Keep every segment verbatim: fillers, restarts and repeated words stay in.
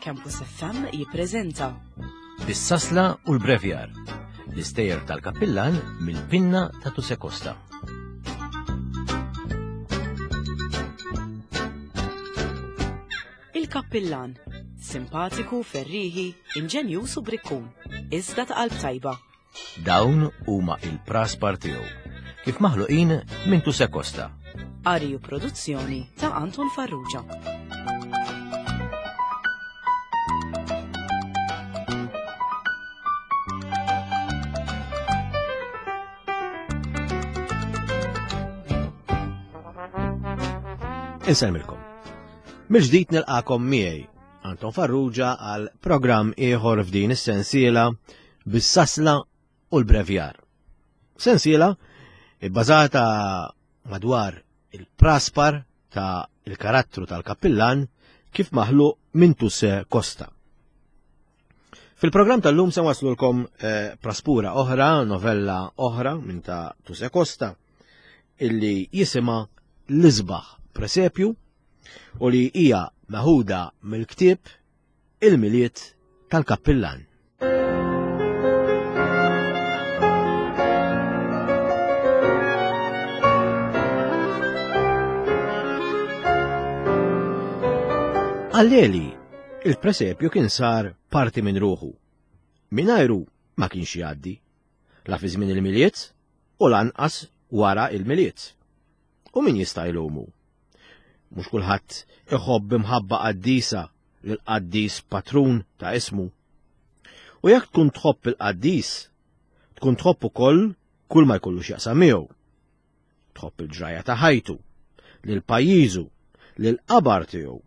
Campus F M jippreżenta Bis-sasla u l-brevjar, l-istejjer tal-kappillan mill-pinna ta' Tusè Costa. Il-kappillan, simpatiku, ferriħi, inġenjuż u brikkun, iżda ta' qalb tajba. Dawn huma il-praspar tiegħu, kif maħluqin minn Tusè Costa. Qari u produzzjoni ta' Anton Farrugia. Insellmilkom. Mill-ġdid nilqakom miegħi Anton Farrugia għal programm ieħor f'din is-sensiela bis-sasla u l-brevjar. Sensiela ibbażata madwar il-praspar ta' il-karattru tal-kappillan kif maħluq minn Tusè Costa. Fil-programm tal-lum se waslulkom, eh, praspura oħra, novella oħra minn ta' Tusè Costa illi jisimha L-Isbaħ Presepju u li hija meħuda mill-ktieb Il-Milied tal-Kappillan. Għal Leli, il-presepju kien sar parti minn ruħu. Mingħajru ma kienx jgħaddi, la fi żmien il-Milied u lanqas wara il-Milied. U min jista' jlumu? Mhux kulħadd iħobb imħabba qaddisa lil qaddis patrun ta' ismu. U jekk tkun tħobb il-qaddis, tkun tħobb ukoll kull ma jkollu x'jaqsam miegħu. Tħobb il-ġrajja ta' ħajtu, lil pajjiżu, lil qabar tiegħu,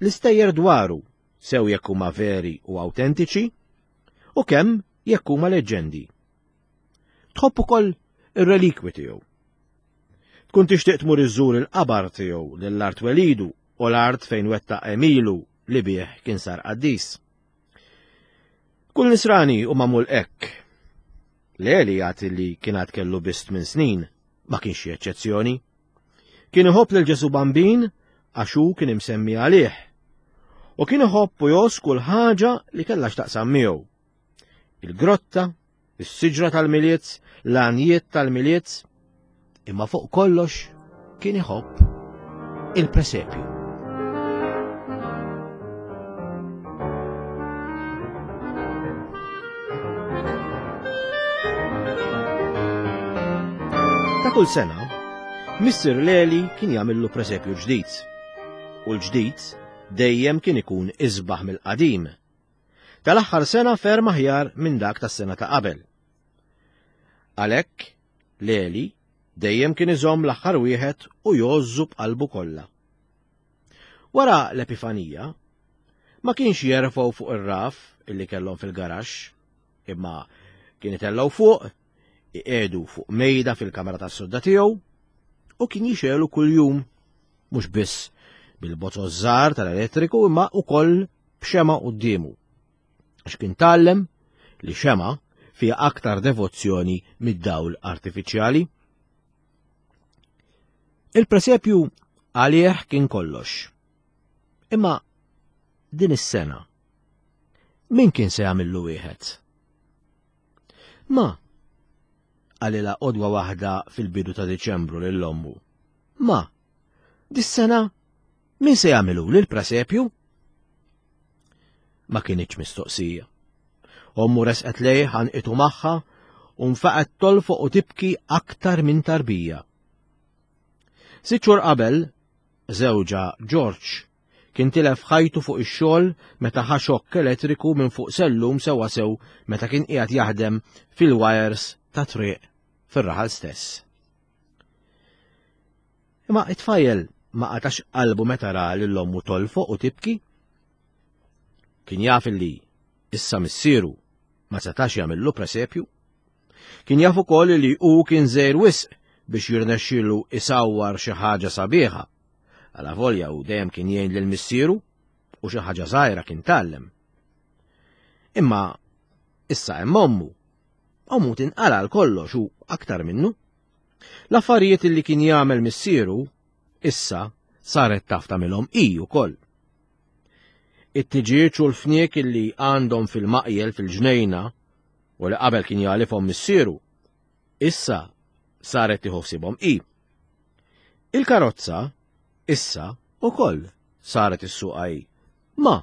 l-istejjer dwaru, sew jekk huma veri u awtentiċi, u kemm jekk huma leġġendi. Tħobb ukoll ir-relikwi tiegħu. Tkun tixtieq tmur iżżur il-qabar tiegħu lill-art welidu u l-art fejn wettaq għemilu li bih kien sar qaddis. Kull nisrani u magħmul hekk. Leli jagħti li kien għad kellu biss tmien snin, ma kienx xi eċċezzjoni. Kien iħobb lil Ġesu Bambin għax hu kien imsemmi għalih. U kien iħobb u jgħożż kull ħaġa li kellha x'taqsam miegħu. Il-grotta, is-siġra tal-Milied, l-għanjiet tal-Milied, imma fuq kollox kien iħobb il-presepju. Ta' kull sena, Missier Leli kien jagħmillu presepju ġdid. U l-ġdid dejjem kien ikun isbaħ mill-qadim. Tal-aħħar sena ferm aħjar minn dak tas-sena ta' qabel. Għalhekk, Leli dejjem kien iżomm l-aħħar wieħed u jgħożżu b'qalbu kollha. Wara l-Epifanija, ma kienx jerfgħu fuq ir-raf illi kellhom fil-garaxx, imma kien itellgħu fuq, iqiegħdu fuq mejda fil-kamra tas-sodda tiegħu u kien jixegħlu kuljum, mhux biss bil-bozzoż żgħar tal-elettriku imma wkoll b'xema quddiemu. Għax kien tgħallem li xema fiha aktar devozzjoni mid-dawl artifiċjali. Il-presepju għalih kien kollox. Imma din is-sena min kien se jagħmillu wieħed? Ma qalilha qodwa waħda fil-bidu ta' Diċembru lil ommu. Ma dis-sena min se jagħmilu lil presepju? Ma kienitx mistoqsija. Ommu resqet lejh ħanqitu magħha u nfaqet tolfoq u tibki aktar minn tarbija. Sitt xhur qabel, żewġha George kien tilef ħajtu fuq ix-xogħol meta ħa xokk elettriku minn fuq sellum sewwasew meta kien qiegħed jaħdem fil-wires ta' triq fir-raħal stess. Imma it-tfajjel ma qatax qalbu meta ra lil ommu tolfoq u tibki. Kien jaf li issa missieru ma setax jagħmillu presepju. Kien jaf ukoll li hu kien żgħir wisq biex jirnexxielu isawwar xi ħaġa sabiħa. Għala volja u dejjem kien jgħin lil missieru u xi ħaġa żgħira kien tgħallem. Imma issa hemm ommu. Ommu tinqala għal kollox u aktar minnu. L-affarijiet li kien jagħmel missieru issa saret taf tagħmilhom hi wkoll. It-tiġieġ u l-fniek illi għandhom fil-maqjel fil-ġnejna u li qabel kien jagħlifhom missieru, issa saret tieħu ħsiebhom hi. Il-karozza issa ukoll saret issuqha hi. Ma,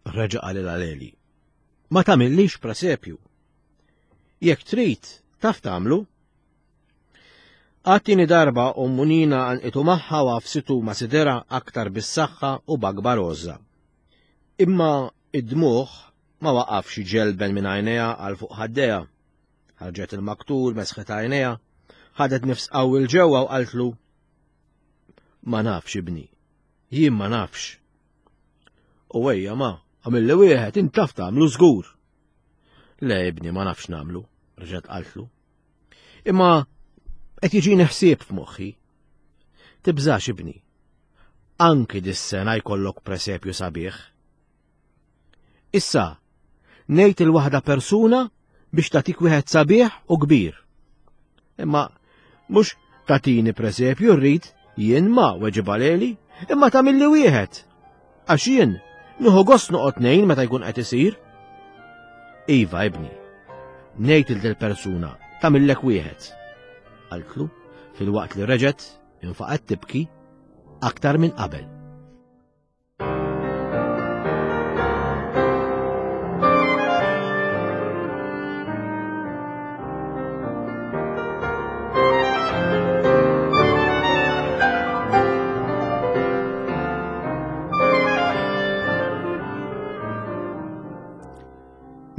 reġa' qalilha Leli, ma tagħmillix presepju. Jekk trid, taf tagħmlu. Għat-tieni darba ommu Nina għanqitu magħha u għafsitu ma' sidirha aktar bis-saħħa u b'akbar għożża. Imma id-dmugħ ma waqafx iġelben minn għajnejha għal fuq ħaddejha. Ħarġet il-maktur, mesħet għajnejha, ħadet nifs qawwi 'l ġewwa u qaltlu: Ma nafx ibni, jien ma nafx. U ejja ma, għamilli wieħed, int taf tagħmlu żgur. Le ibni, ma nafx nagħmlu, reġgħet qaltlu. Imma qed jiġini ħsieb f'moħħi. Tibżax ibni. Anki dis-sena jkollok presepju sabiħ. Issa, ngħid il-waħda persuna biex tagħtik wieħed sabiħ u kbir. Imma mhux tagħtini presepju rrid jien ma weġibha Leli, imma tagħmilli wieħed. Għax jien nieħu gost noqgħod ngħin meta jkun qed isir. Iva ibni, ngħid il persuna tagħmillek wieħed. Qaltlu filwaqt li reġgħet infaqgħet tibki aktar minn qabel.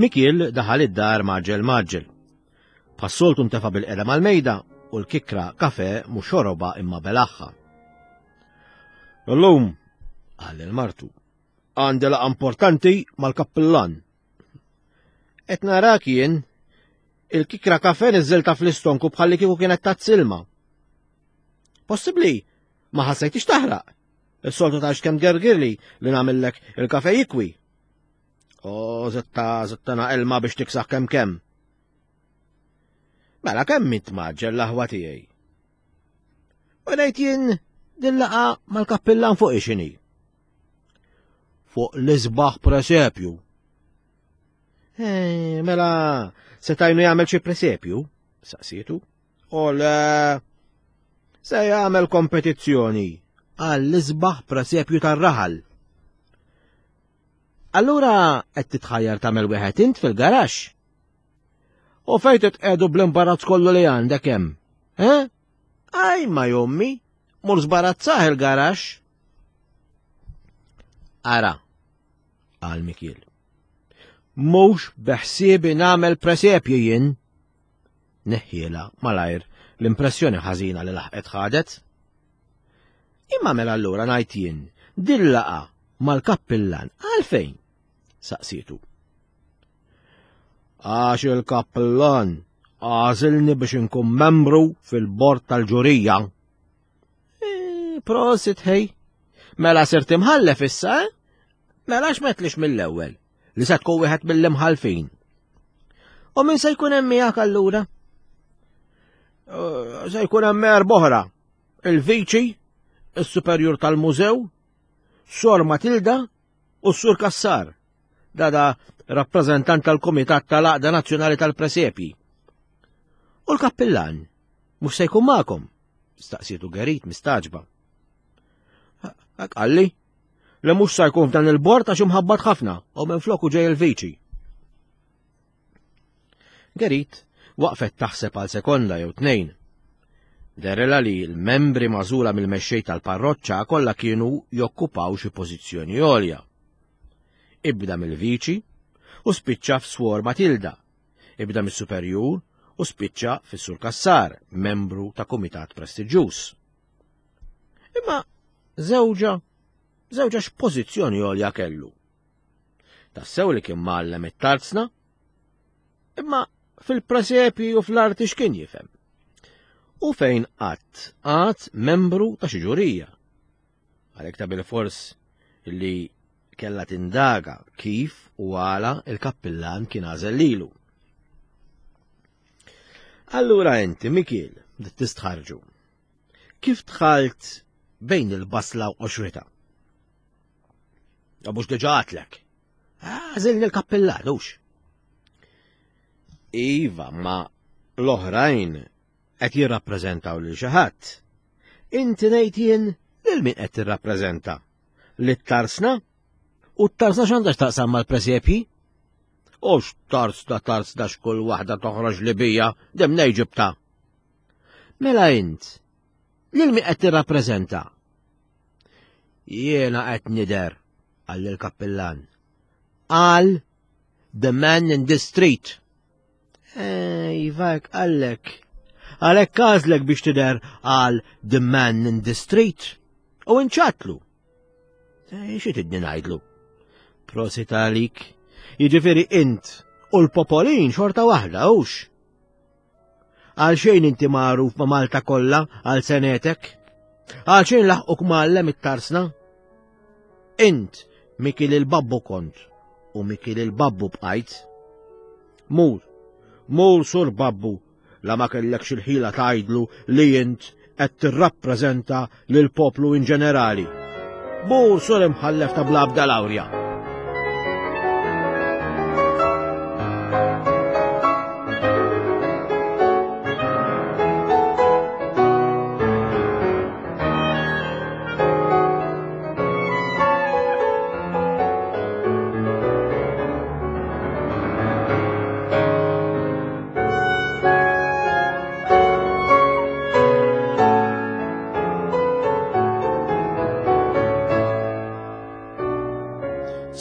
Mikiel daħal id-dar maġġel maġġel. Bħas-soltu ntefa' bil-qeda mal-mejda u l-kikra kafe mhux xoroba imma belaħħa. Illum, qal lil martu, għandi laqgħa importanti mal-kappillan. Qed narak jien, il-kikra kafe niżżilta fl-istonku bħalli kieku kienet tazz ilma. Possibbli ma ħassejtix taħraq. Is-soltu tgħix kemm gergirli li nagħmellek il-kafe jikwi. O, zitta, zitta ilma biex tiksaħ kemm kemm. Mela kemm int maġġel l-aħwa tiegħi. U ngħid jien din laqgħa mal-kappillan fuq ixini. Fuq l-isbaħ presepju. Eh, mela, se tajnu jagħmel xi presepju? Saqsietu. O le, se jagħmel kompetizzjoni għall-isbaħ presepju tar-raħal. Allura qed titħajjar tagħmel wieħed int fil-garaxx? U fejn titqegħdu bl-imbarazz kollu li għandek hemm? Eh? Aj ma jommi, mur żbarazzah il-garaxx. Ara, qal Mikiel. Mhux beħsiebi nagħmel presepju jien. Neħħiela malajr l-impressjoni ħażina li laħqet ħadet. Imma mela allura ngħid jien, din laqgħa mal-kappillan għalfejn? Saqsietu. Għax il-kappillan għażilni biex inkun membru fil-bord tal-ġurija. E, prosit ħej. Mela sirt imħallef issa, eh? Mela x'metlix mill-ewwel li se tkun wieħed mill-imħalfin. U min se jkun hemm miegħek allura? Se jkun hemm erba' oħra. Il-viċi, is-superjur tal-mużew, Sor Matilda u s-Sur Kassar. Dada rappreżentant tal-Kumitat tal-Għaqda Nazzjonali tal-Presepji. U l-kappillan mhux se jkun magħkom? Staqsietu Gerit mistaġba. Hekk qalli li mhux se jkun f'dan il-bord għax imħabbat ħafna u minn floku ġej il-viċi. Gerit waqfet taħseb għal sekonda jew tnejn. Derela li l-membri magħżula mill-mexxej tal-parroċċa kollha kienu jokkupaw xi pożizzjoni għolja. Ibda mill-viċi u spiċċa f'Swor Matilda, ibda mis-superjur u spiċċa fis-Sur Kassar, membru ta' kumitat prestiġjuż. Imma żewġa, żewġa x'pożizzjoni għolja kellu. Tassew li kien mgħallem it-tarzna, imma fil-presepi u fl-arti x'kien jifhem. U fejn qatt qatt membru ta' xi ġurija. Għalhekk ta' bilfors li kella tindaga kif u għala il-kappillan kien għażel lilu. Allura inti, Mikiel, bdiet tistħarġu. Kif dħalt bejn il-basla u qoxritha. Mhux diġà għedtlek. Għażilni l-kappillan, hux. Iva, ma l-oħrajn qed jirrappreżentaw lil xi ħadd. Inti ngħid jien lil min qed tirrappreżenta? Lit-tarsna? U t-tarsna x'għandha x'taqsam mal-presepji? U x'tarsna tarsna x'kull waħda toħroġ li bija, dem ġibta. Mela int, lil min qed tirrappreżenta? Jiena qed nidher, qal il-kappillan. Għal the man in the street. Ej, vak għallek. Għalhekk għażlek biex tidher għal the man in the street. U inċatlu. Xi tidni ngħidlu? Prosit għalik. Jiġifieri int u l-popolin xorta waħda, hux? Għal xejn inti magħruf ma' Malta kollha għal senetek? Għal xejn laħquk mgħallem it-tarsna? Int Mikil il-babbu kont u Mikil il-babbu bqajt. Mur, mur sur babbu, la ma kellekx il-ħila tgħidlu li int qed tirrappreżenta lil poplu in ġenerali. Mur sur imħallef ta' bla ebda lawrja.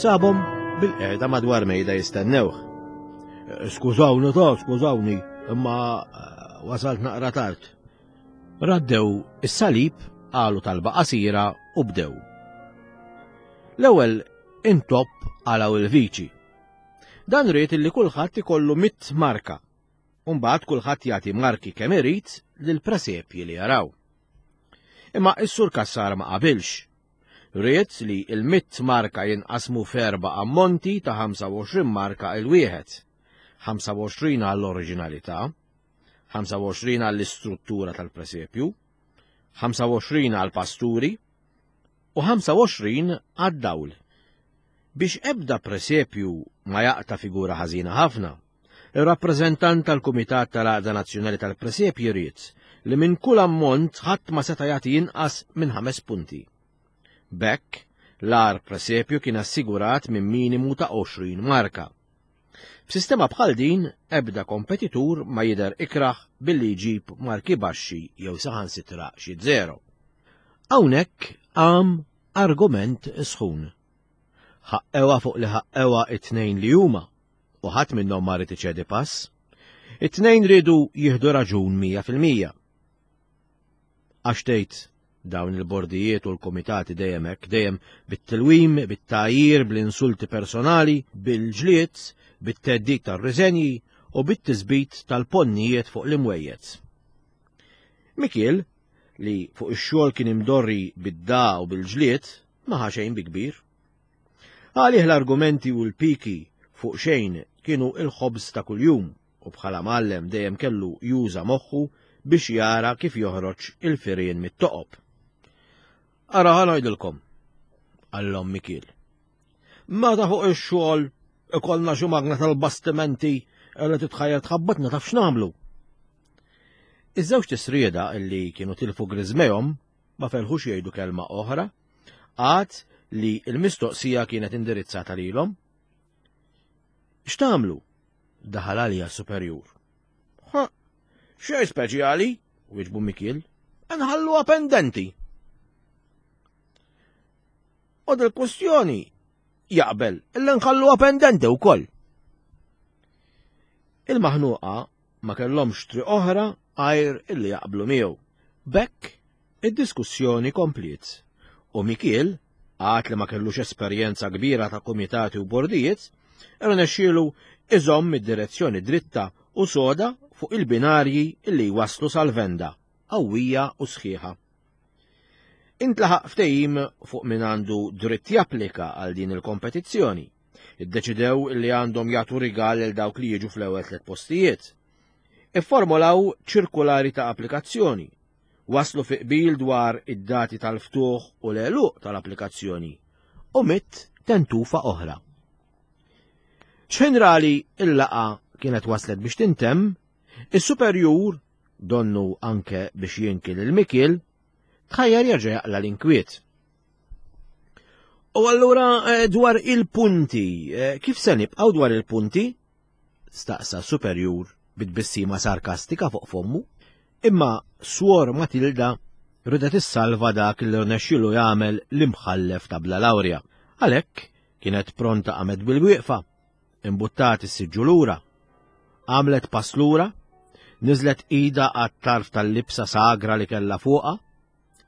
Sabhom bil-qegħda madwar mejda jistennewh. Skużawni ta' skużawni, imma wasalt naqra tard. Raddew is-salib, qalu talba qasira u bdew. L-ewwel intopp għalaw il-viċi. Dan ried illi kulħadd ikollu mitt marka. U mbagħad kulħadd jagħti marki kemm irid lill-presepji li jaraw. Imma s-sur Cassar ma qabilx. Ried li il-mitt marka jinqasmu f'erba' ammonti ta' ħamsa u għoxrin marka il-wieħed. ħamsa u għoxrin għall-oriġinalità, ħamsa u għoxrin għall-istruttura tal-presepju, ħamsa u għoxrin għall-pasturi u ħamsa u għoxrin għad-dawl. Biex ebda presepju ma jaqta' figura ħażina ħafna, ir-rappreżentant tal-Kumitat tal-Għaqda Nazzjonali tal-Presepji ried li minn kull ammont ħadd ma seta' jagħti inqas minn ħames punti. B'hekk, l-agħar presepju kien assigurat minn minimu ta' għoxrin marka. B'sistema bħal din, ebda kompetitur ma jidher ikraħ billi jġib marki baxxi jew saħansitra xi zero. Hawnhekk qam argument sħun. Ħaqqewa fuq li ħaqqewa it-tnejn li huma, u ħadd minnhom ma rid iċedi pass. It-tnejn riedu jieħdu raġun mija fil-mija. Għax tgħid dawn il-bordijiet u l-komitati dejjem hekk, dejjem bit-tilwim, bit-tgħajjir, bl-insulti personali, bil-ġlied, bit-theddid tar-riżenji u bit-tisbit tal-ponnijiet fuq l-imwejjed. Mikiel, li fuq ix-xogħol kien imdorri bid-da u bil-ġlied, ma ħa xejn bi kbir. Għalih l-argumenti u l-piki fuq xejn kienu il-ħobż ta' kuljum u bħala mgħallem dejjem kellu juża moħħu biex jara kif joħroġ il-firien mit-toqob. Ara ħa ngħidilkom, qallhom Mikiel. Meta fuq ix-xogħol ikollna xi magna tal-bastimenti li titħajjar tħabbatna taf x'nagħmlu. Iż-żewġ tisrieda illi kienu tilfu griżmejhom ma felħux jgħidu kelma oħra, għad li l-mistoqsija kienet indirizzata lilhom. X'tagħmlu? Daħal għalija superjur. Ha, xejn speċjali, wieġbu Mikiel, nħalluha pendenti. U dil-kwestjoni jaqbel illi nħalluha pendenti wkoll. Il-maħnuqa ma kellhomx triq oħra għajr illi jaqblu miegħu. B'hekk id-diskussjoni kompliet u Mikiel, għad li ma kellux esperjenza kbira ta' komitati u bordijiet, irnexxielu iżomm id-direzzjoni dritta u soda fuq il-binarji illi waslu sal-venda, qawwija u sħiħa. Intlaħaq ftehim fuq min għandu dritt japplika għal din il-kompetizzjoni. Iddeċidew li għandhom jagħtu rigal lil dawk li jiġu fl-ewwel tliet postijiet. Ifformulaw ċirkulari ta' applikazzjoni. Waslu fi qbil dwar id-dati tal-ftuħ u l-għeluq tal-applikazzjoni u mitt tentufa oħra. Ġenerali il-laqgħa kienet waslet biex tintemm, is-superjur, donnu anke biex jinkil il-mikil, tħajjar jerġa' jaqla l-inkwiet. U allura dwar il-punti, kif se nibqgħu dwar il-punti? Staqsa superjur bit-tbissima sarkastika fuq fommu. Imma Swor Matilda ridet issalva dak li rnexxielu jagħmel l-imħallef ta' bla lawrja. Għalhekk kienet pronta qamet bil-wieqfa, imbuttat is-siġġu lura, għamlet pass lura, niżlet ida għat-tarf tal-libsa sagra li kellha fuqha,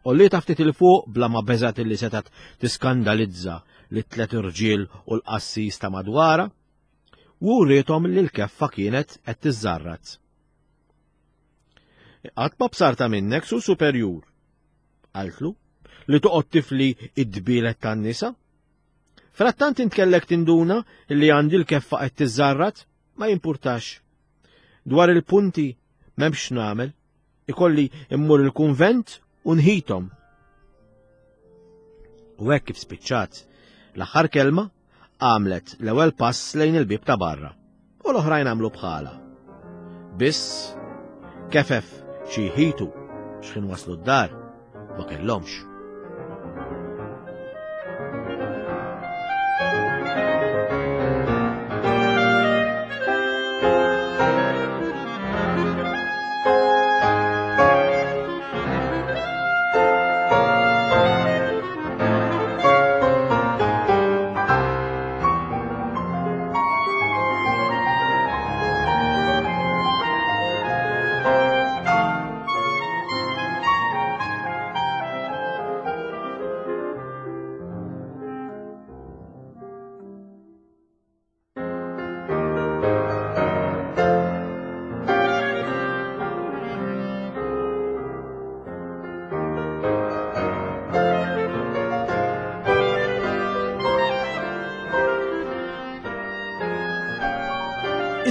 u li ftit il fuq bla ma beżat li setgħet tiskandalizza li tliet irġiel u l-qassis ta' madwara, u wriethom li l-keffa kienet qed tiżżarrat. Qatt ma bsarta minnek su superjur, qaltlu, li toqgħod tifli id-dbielet tan-nisa. Frattant intkellek tinduna li għandi l-keffa qed tiżżarrat, ma jimpurtax. Dwar il-punti m'hemmx nagħmel, ikolli immur il-kunvent u nħithom. U hekk kif spiċċat l-aħħar kelma għamlet l-ewwel pass lejn il-bieb ta' barra u l-oħrajn għamlu bħala. Biss kefef xi jħitu x'ħin waslu d-dar ma kellhomx.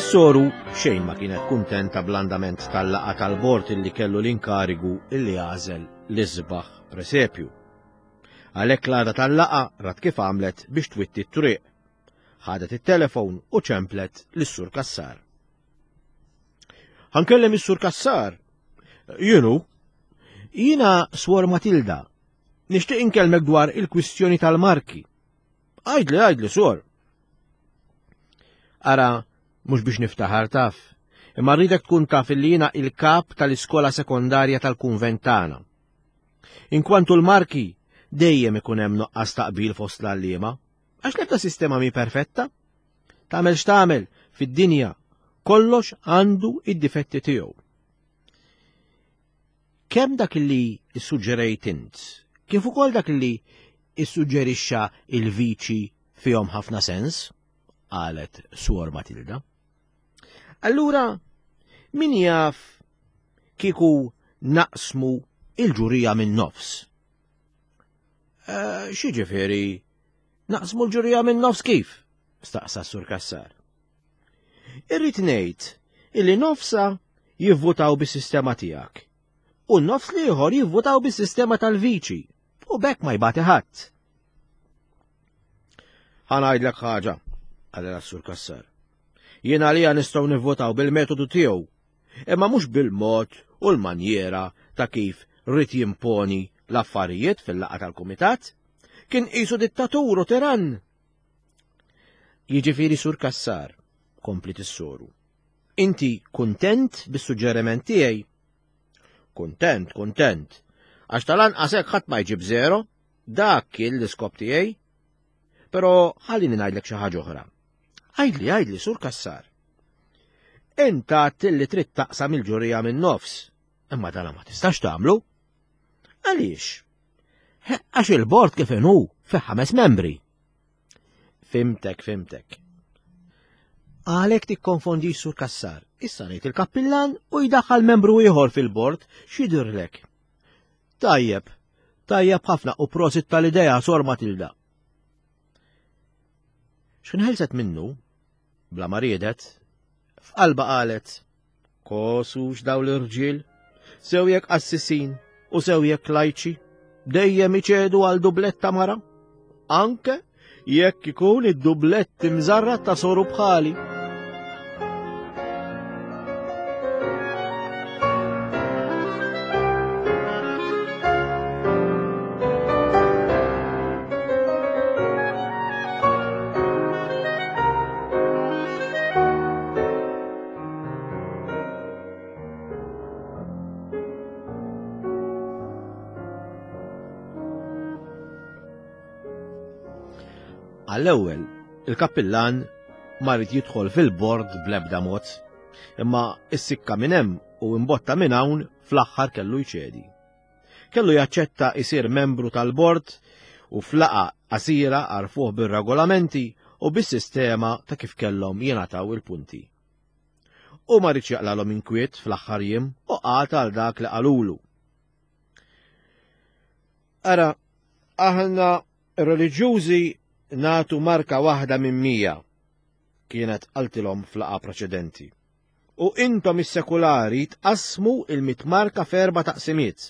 Is-soru xejn ma kienet kuntenta bl-andament tal-laqgħa tal-bord illi kellu l-inkarigu illi għażel l-isbaħ presepju. Għalhekk l-għada tal-laqgħa rat kif għamlet biex twitti t-triq. Ħadet it-telefon u ċemplet lis-Sur Cassar. Ħankellem is-Sur Cassar. Jienu, jiena Swor Matilda. Nixtieq inkellmek dwar il-kwistjoni tal-marki. Għajdli, għajdli, Swor. Ara, mhux biex niftaħar taf, imma rridek tkun taf illi jiena il-kap tal-iskola sekondarja tal-kunvent tagħna. Inkwantu l-marki dejjem ikun hemm nuqqas taqbil fost l-għalliema, għax l-ebda sistema mi perfetta. Tagħmel x'tagħmel fid-dinja, kollox għandu id-difetti tiegħu. Kemm dak li issuġġerejt int, kif ukoll dak li issuġġerixxa il-viċi fihom ħafna sens, qalet Swor Matilda. Allura, min jaf kieku naqsmu il-ġurija minn nofs? Uh, X'jiġifieri naqsmu l-ġurija minn nofs kif? Staqsa Sur Cassar. Irrid ngħid illi nofsa jivvutaw bis-sistema tiegħek u n-nofs l-ieħor jivvutaw bis-sistema tal-viċi u bekk ma jbati ħadd. Ħa ngħidlek ħaġa, qalilha Sur Cassar. Jien għalija nistgħu nivvotaw bil-metodu tiegħu, imma mhux bil-mod u l-manjera ta' kif rrid jimponi l-affarijiet fil-laqgħa tal-kumitat. Kien qisu dittatur u tirann. Jiġifieri Sur Cassar, komplit is-soru. Inti kuntent bis-suġġeriment tiegħi? Kuntent, kuntent. Għax tal-anqas hekk ħadd ma jġib zero, dak kien l-iskop tiegħi. Però ħallini ngħidlek xi ħaġa oħra. Għajdli, għajdli, Sur Cassar. Int għedt li trid taqsam il-ġurija minn nofs, imma dana ma tistax tagħmlu. Għaliex? Għax il-bord kif inhu fi ħames membri. Fimtek, fimtek. Għalhekk tikkonfondi Sur Cassar. Issa ngħid il-kappillan u jdaħħal membru ieħor fil-bord, x'jidhirlek? Tajjeb, tajjeb ħafna u prosit tal-idea, Sor Matilda. X'inħelset minnu, bla ma riedet, f'qalba qalet, kosux daw l-irġiel, sew jekk qassisin u sew jekk lajċi, dejjem iċedu għal dubletta mara, anke jekk ikun id-dublett imżarrat ta' soru bħali. Għall-ewwel, il-kappillan ma rid jidħol fil-bord bl-ebda mod, imma s-sikka minn hemm u imbotta minn hawn fl-aħħar kellu jċedi. Kellu jaċċetta isir membru tal-bord u flaqa qasira għarfuh bir-regolamenti u bis-sistema ta' kif kellhom jingħataw il-punti. U ma ridx jaqlalhom inkwiet fl-aħħar jiem u qagħad għal dak li qalulu. Ara, aħna reliġjużi natu marka waħda minn mija, kienet qaltilhom flaqa preċedenti. U intom is-sekulari tqassmu il-mit marka f'erba' taqsimiet,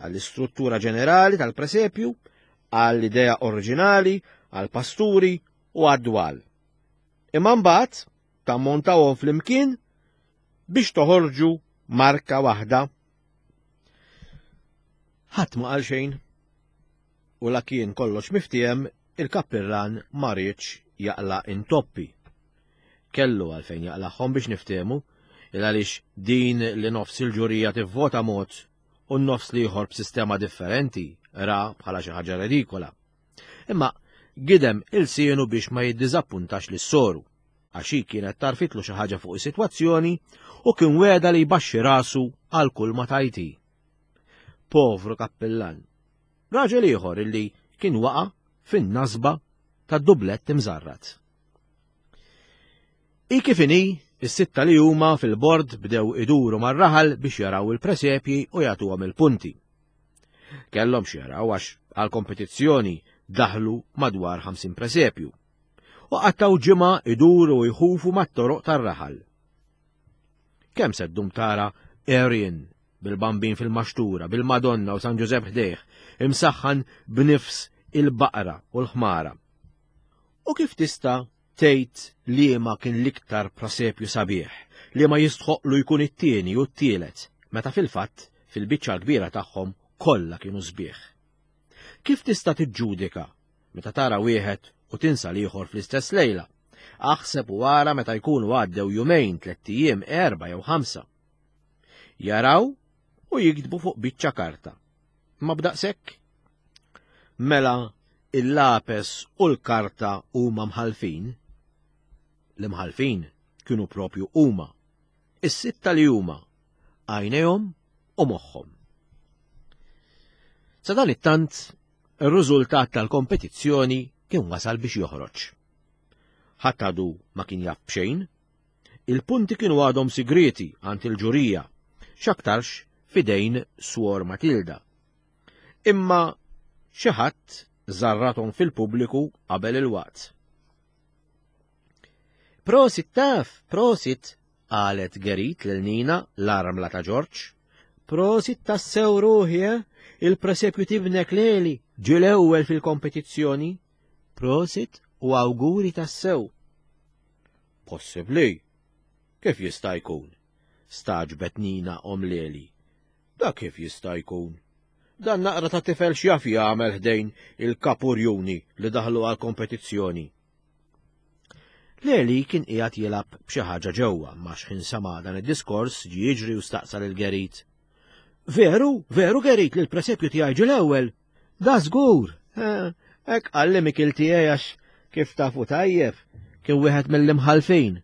għall-istruttura ġenerali tal-presepju, għall-idea oriġinali, għall-pasturi u għad-dwal. Imma mbagħad tammontawhom flimkien biex toħorġu marka waħda. Ħadd ma qal xejn. U la kien kollox miftiem, il-kappillan ma riedx jaqla' intoppi. Kellu għalfejn jaqlagħhom biex niftehmu, il għaliex din li nofs il-ġurija tivvota mod u n-nofs l-ieħor b'sistema differenti ra bħala xi ħaġa redikola. Imma gidem il-sienu biex ma jiddiżappuntax lis-soru, għax hi kienet tarfitlu xi ħaġa fuq is-sitwazzjoni u kien weda li jbaxxi rasu għal kull ma tajti. Povru kappillan, raġel ieħor illi kien waqa' fin-nasba tad-dublett imżarrat. I kif inhi, is-sitta li huma fil-bord bdew iduru mar-raħal biex jaraw il-presepji u jagħtuhom il-punti. Kellhom xi jaraw għax għall-kompetizzjoni daħlu madwar ħamsin presepju u qattaw ġimgħa iduru u jħufu mat-toroq tar-raħal. Kemm se ddum tara Arian bil-bambin fil-maxtura, bil-Madonna u San Ġużepp ħdejh, imsaħħan b'nifs il-baqra u l-ħmara. U kif tista' tgħid liema kien l-iktar presepju sabiħ, li ma jistħoqlu jkun it-tieni u t-tielet, meta fil-fatt fil-biċċa l-kbira tagħhom kollha kienu sbieħ. Kif tista' tiġġudika meta tara wieħed u tinsa l-ieħor fl-istess lejla? Aħseb u ara meta jkunu għaddew jumejn, tlett ijiem, erba' jew ħamsa. Jaraw u jiktbu fuq biċċa karta. Ma b'daqshekk? Mela il-lapes u l-karta huma mħalfin. L-imħalfin kienu propju huma, is-sitta li huma, għajnejhom u moħħhom. Sa dan it-tant, ir-riżultat tal-kompetizzjoni kien wasal biex joħroġ. Ħadd għadu ma kien jaf b'xejn, il-punti kienu għadhom sigrieti għand il-ġurija, x'aktarx fidejn Swor Matilda. Imma xi ħadd żarrathom fil-pubbliku qabel il-waqt. Prosit taf, prosit, qalet Gerit lil Nina l-armla ta' Ġorġ. Prosit tassew ruħi, eh? Il-presepju tibnek leli ġie l-ewwel fil-kompetizzjoni. Prosit u awguri tassew. Possibbli? Kif jista' jkun? Staġbet Nina om Leli. Da kif jista' jkun? Dan naqra ta' tifel x'jaf jagħmel ħdejn il-kapurjuni li daħlu għal-kompetizzjoni. Leli kien qiegħed jilgħab b'xi ħaġa ġewwa, ma x'ħin sama' dan id-diskors ġie jiġri u staqsa lil Gerit. Veru, veru Gerit li l-presepju tiegħi ġie l-ewwel. Da żgur, hekk qalli Mikil tiegħi għax kif tafu tajjeb kien wieħed mill-imħalfin.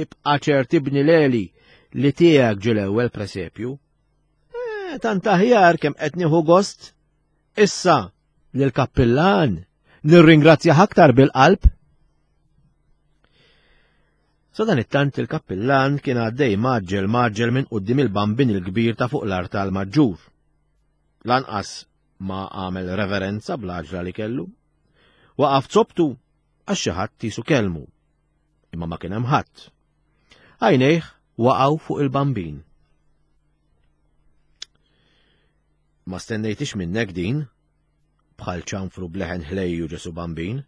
Ibqa' ċert ibni Leli li tiegħek ġie l-ewwel presepju. Tant aħjar kemm qed nieħu gost. Issa lill-kappillan nirringrazzjah aktar bil-qalb. Sa dan it-tant il-kappillan kien għaddej maġġel maġġel minn quddiem il-bambin il-kbir ta' fuq l-artal maġġur. Lanqas ma għamel reverenza bl-għaġla li kellu. Waqaf zobtu għax xi ħadd tisu kelmu. Imma ma kien hemm ħadd. Għajnejh waqgħu fuq il-bambin. Ma stennejtix minnek din, bħal ċanfru bleħen ħlejju Ġesu Bambin.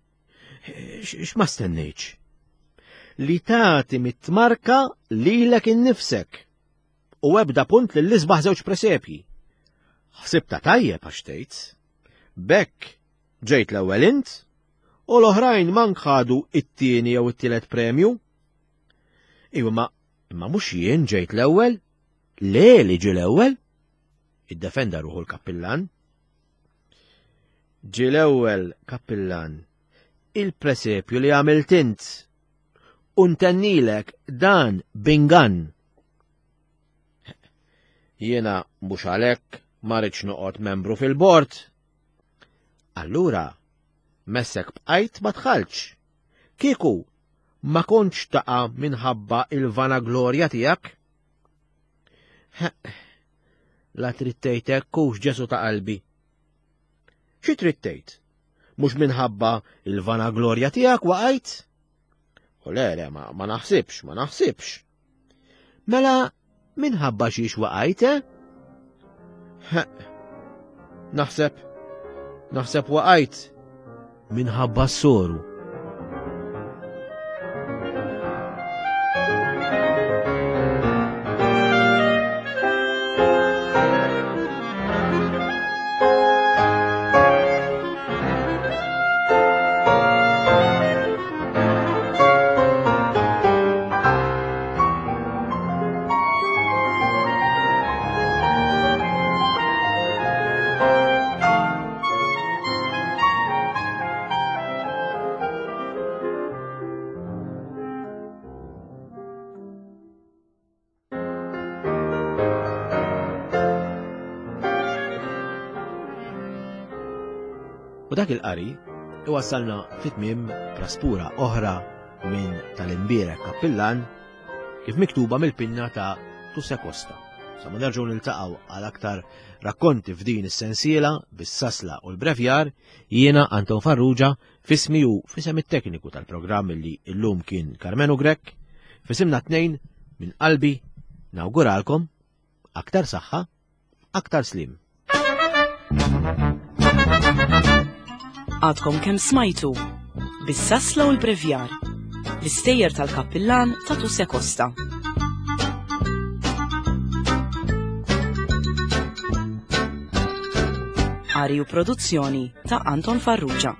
X'ma stennejtx? Li tagħti mit-tmarka lilek innifsek. U ebda punt lil isbaħ żewġ presepji. Ħsibta tajjeb għax tgħid. Bekk ġejt l-ewwel int u l-oħrajn mank ħadu it-tieni jew it-tielet premju. Iwa ma imma mhux jien ġejt l-ewwel, le li ġie l-ewwel. Iddefenda ruħu l-kappillan. Ġie l-ewwel kappillan il-presepju li għamilt int u ntennilek dan bingan. Jiena mhux għalhekk ma rridx noqgħod membru fil-bord. Allura, messek bqajt ma tħalx. Kieku ma kontx taqa' minħabba il-vanaglorja tiegħek. La trid tgħid hekk hux Ġesu ta' qalbi. Xi trid tgħid? Mhux minħabba il-vanaglorja tiegħek waqajt? U le, le, ma, ma naħsibx, ma naħsibx. Mela, minħabba xiex waqajt, eh? Naħseb, naħseb waqajt minħabba s-soru. U dak il-qari iwassalna fit-tmiem praspura oħra minn tal-imbierek kappillan kif miktuba mill-pinna ta' Tusse Costa. Sa ma nerġgħu niltaqgħu għal aktar rakkonti f'din is-sensiela bis-sasla u l-brevjar, jiena Anton Farrugia fismi u fisem it-tekniku tal-programm li llum kien Karmenu Grech, fisimna tnejn minn qalbi nawguralkom aktar saħħa, aktar slim. Għadkom kemm smajtu bis-sasla u l-brevjar, l-istejjer tal-kappillan ta' Tusse Costa. Qari u produzzjoni ta' Anton Farrugia.